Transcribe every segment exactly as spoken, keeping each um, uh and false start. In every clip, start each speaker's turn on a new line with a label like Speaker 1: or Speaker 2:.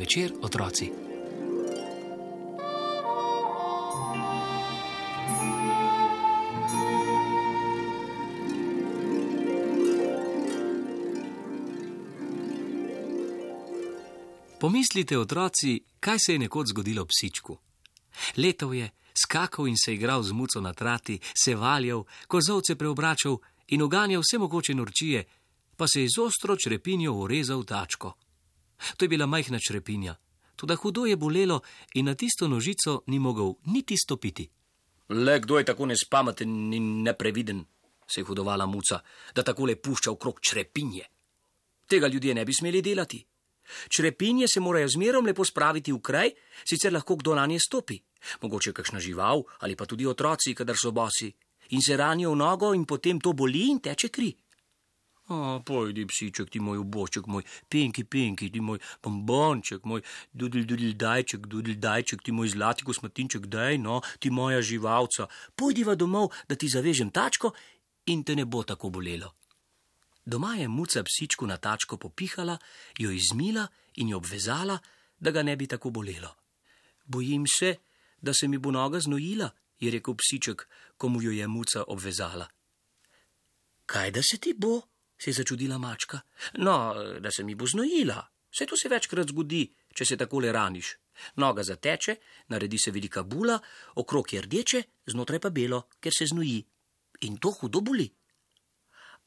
Speaker 1: večer, otroci. Pomislite, otroci, kaj se je nekoč zgodilo psičku. Letal je, skakal in se igral z muco na trati, se valjal, kozovce preobračal in uganjal vse mogoče norčije, pa se je z ostro črepinjo urezal tačko. To je bila majhna črepinja, toda hudo je bolelo in na tisto nožico ni mogel niti stopiti.
Speaker 2: Le kdo je tako nespameten in nepreviden, se je hudovala muca, da takole pušča okrog črepinje. Tega ljudje ne bi smeli delati. Črepinje se morajo zmerom lepo spraviti v kraj, sicer lahko kdo nanje stopi. Mogoče kakšna žival ali pa tudi otroci, kadar so bosi, in se ranijo v nogo in potem to boli in teče kri. O, pojdi, psiček, ti moj ubošček, moj penki, penki, ti moj bombonček, moj dudl, dudl, dajček, dudl, dajček, ti moj zlati kosmatinček, daj, no, ti moja živalca. Pojdiva domov, da ti zavežem tačko in te ne bo tako bolelo. Doma je muca psičku na tačko popihala, jo izmila in jo obvezala, da ga ne bi tako bolelo. Bojim se, da se mi bo noga znojila, je rekel psiček, ko mu jo je muca obvezala. Kaj da se ti bo? Se je začudila mačka. No, da se mi bo znojila. Saj to se večkrat zgodi, če se takole raniš. Noga zateče, naredi se velika bula, okrog je rdeče, znotraj pa belo, ker se znoji. In to hudo boli.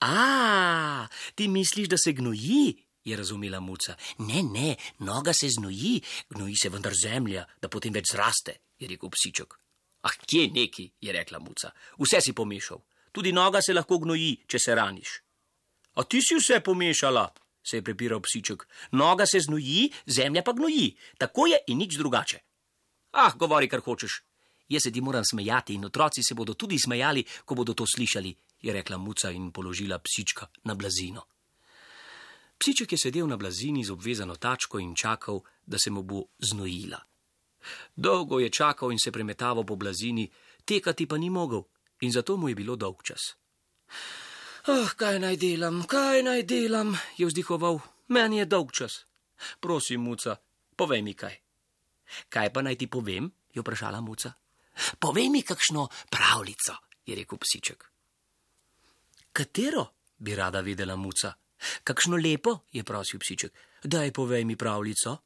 Speaker 2: A, ti misliš, da se gnoji, je razumela muca. Ne, ne, noga se znoji, gnoji se vendar zemlja, da potem več zraste, je rekel psiček. Ah, kje neki, je rekla muca. Vse si pomešal. Tudi noga se lahko gnoji, če se raniš. A ti si vse pomešala, se je prepiral psiček. Noga se znoji, zemlja pa gnoji. Tako je in nič drugače. Ah, govori, kar hočeš. Jaz se ti moram smejati in otroci se bodo tudi smejali, ko bodo to slišali, je rekla muca in položila psička na blazino. Psiček je sedel na blazini z obvezano tačko in čakal, da se mu bo znojila. Dolgo je čakal in se premetaval po blazini, tekati pa ni mogel in zato mu je bilo dolg čas. Ah, kaj naj delam, kaj naj delam, je vzdihoval, meni je dolg čas. Prosim, muca, povej mi kaj. Kaj pa naj ti povem, je vprašala muca. Povej mi kakšno pravljico, je rekel psiček. Katero, bi rada vedela muca. Kakšno lepo, je prosil psiček. Daj, povej mi pravljico.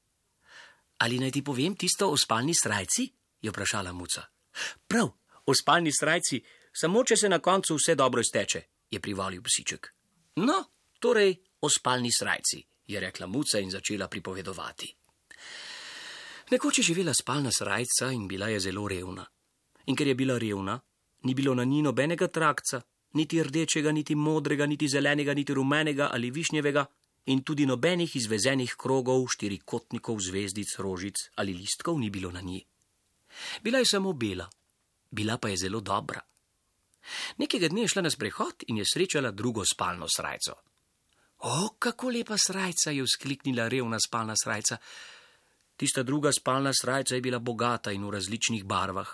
Speaker 2: Ali naj ti povem tisto o spalni srajci, je vprašala muca. Prav, o spalni srajci, samo če se na koncu vse dobro izteče, je privolil psiček. No, torej o spalni srajci, je rekla muca in začela pripovedovati. Nekoč je živela spalna srajca in bila je zelo revna. In ker je bila revna, ni bilo na njej nobenega trakca, niti rdečega, niti modrega, niti zelenega, niti rumenega ali višnjevega in tudi nobenih izvezenih krogov, štirikotnikov, zvezdic, rožic ali listkov ni bilo na njej. Bila je samo bela, bila pa je zelo dobra. Nekega dne je šla na sprehod in je srečala drugo spalno srajco. O, kako lepa srajca, je vzkliknila revna spalna srajca. Tista druga spalna srajca je bila bogata in v različnih barvah.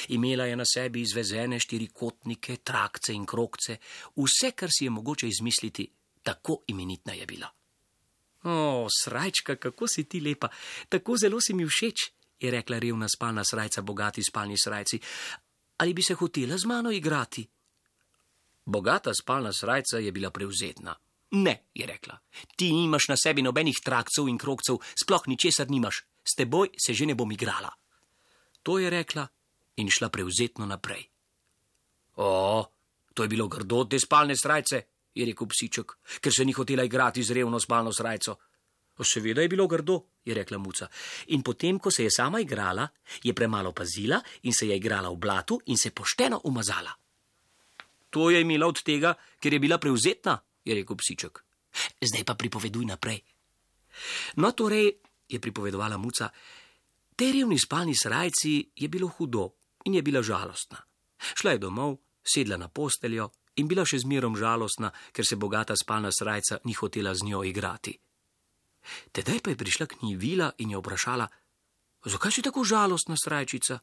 Speaker 2: Imela je na sebi izvezene štirikotnike, trakce in krogce, vse, kar si je mogoče izmisliti, tako imenitna je bila. O, srajčka, kako si ti lepa, tako zelo si mi všeč, je rekla revna spalna srajca bogati spalni srajci. Ali bi se hotela z mano igrati? Bogata spalna srajca je bila prevzetna. Ne, je rekla, ti nimaš na sebi nobenih trakcev in krogcev, sploh ničesar nimaš, s teboj se že ne bom igrala. To je rekla in šla prevzetno naprej. O, to je bilo grdo te spalne srajce, je rekel psiček, ker se ni hotela igrati z revno spalno srajco. Seveda je bilo grdo, je rekla muca. In potem, ko se je sama igrala, je premalo pazila in se je igrala v blatu in se pošteno umazala. To je imela od tega, ker je bila prevzetna, je rekel psiček. Zdaj pa pripoveduj naprej. No, torej, je pripovedovala muca, tej revni spalni srajci je bilo hudo in je bila žalostna. Šla je domov, sedla na posteljo in bila še zmerom žalostna, ker se bogata spalna srajca ni hotela z njo igrati. Tedaj pa je prišla k njej Vila in jo vprašala, zakaj si tako žalostna, srajčica?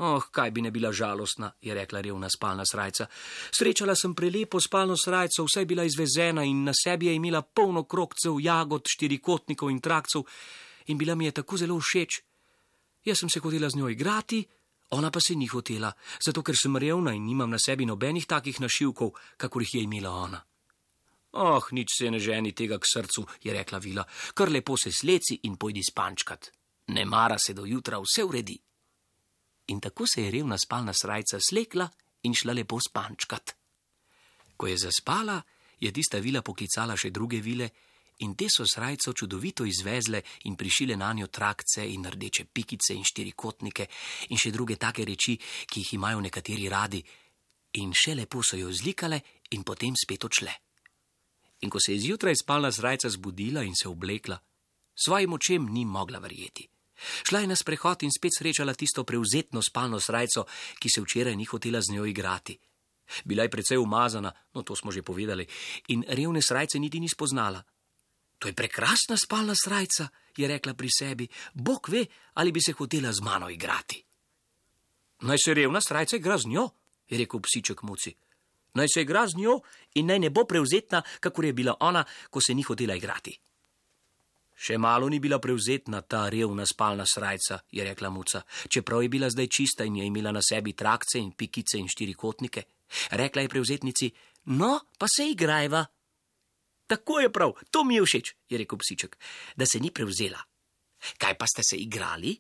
Speaker 2: Oh, kaj bi ne bila žalostna, je rekla revna spalna srajca. Srečala sem prelepo spalno srajco, vse je bila izvezena in na sebi je imela polno krogcev, jagod, štirikotnikov in trakcev
Speaker 1: in bila mi je tako zelo všeč. Jaz sem se hotela z njo igrati, ona pa se ni hotela, zato ker sem revna in nimam na sebi nobenih takih našivkov, kakor jih je imela ona. Oh, nič se ne ženi tega k srcu, je rekla vila, kar lepo se sleci in pojdi spančkat. Ne mara se do jutra, vse uredi. In tako se je revna spalna srajca slekla in šla lepo spančkat. Ko je zaspala, je tista vila poklicala še druge vile in te so srajco čudovito izvezle in prišile na njo trakce in rdeče pikice in štirikotnike in še druge take reči, ki jih imajo nekateri radi. In še lepo so jo zlikale in potem spet odšle. In ko se je zjutraj spalna srajca zbudila in se oblekla, svojim očem ni mogla verjeti. Šla je na sprehod in spet srečala tisto prevzetno spalno srajco, ki se včeraj ni hotela z njo igrati. Bila je precej umazana, no to smo že povedali, in revne srajce niti ni spoznala. To je prekrasna spalna srajca, je rekla pri sebi, Bog ve, ali bi se hotela z mano igrati. Naj se revna srajca igra z njo, je rekel psiček Muci. Naj se igra z njo in naj ne bo prevzetna, kakor je bila ona, ko se ni hotela igrati. Še malo ni bila prevzetna ta revna spalna srajca, je rekla Muca, čeprav je bila zdaj čista in je imela na sebi trakce in pikice in štirikotnike. Rekla je prevzetnici, no, pa se igrajva. Tako je prav, to mi je všeč, je rekel psiček, da se ni prevzela. Kaj pa ste se igrali?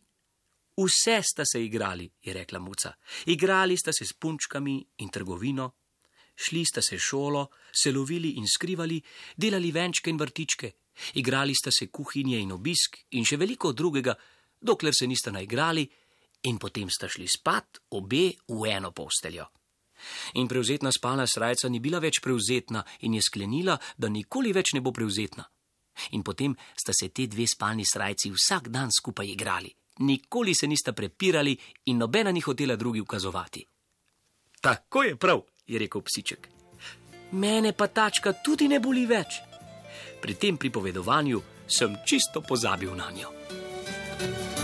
Speaker 1: Vse sta se igrali, je rekla Muca. Igrali sta se s punčkami in trgovino, šli sta se šolo, se lovili in skrivali, delali venčke in vrtičke, igrali sta se kuhinje in obisk in še veliko drugega, dokler se nista naigrali in potem sta šli spat obe v eno posteljo. In prevzetna spalna srajca ni bila več prevzetna in je sklenila, da nikoli več ne bo prevzetna. In potem sta se te dve spalni srajci vsak dan skupaj igrali. Nikoli se nista prepirali in nobena ni hotela drugi ukazovati. Tako je prav, je rekel psiček. Mene pa tačka tudi ne boli več. Pri tem pripovedovanju sem čisto pozabil na njo.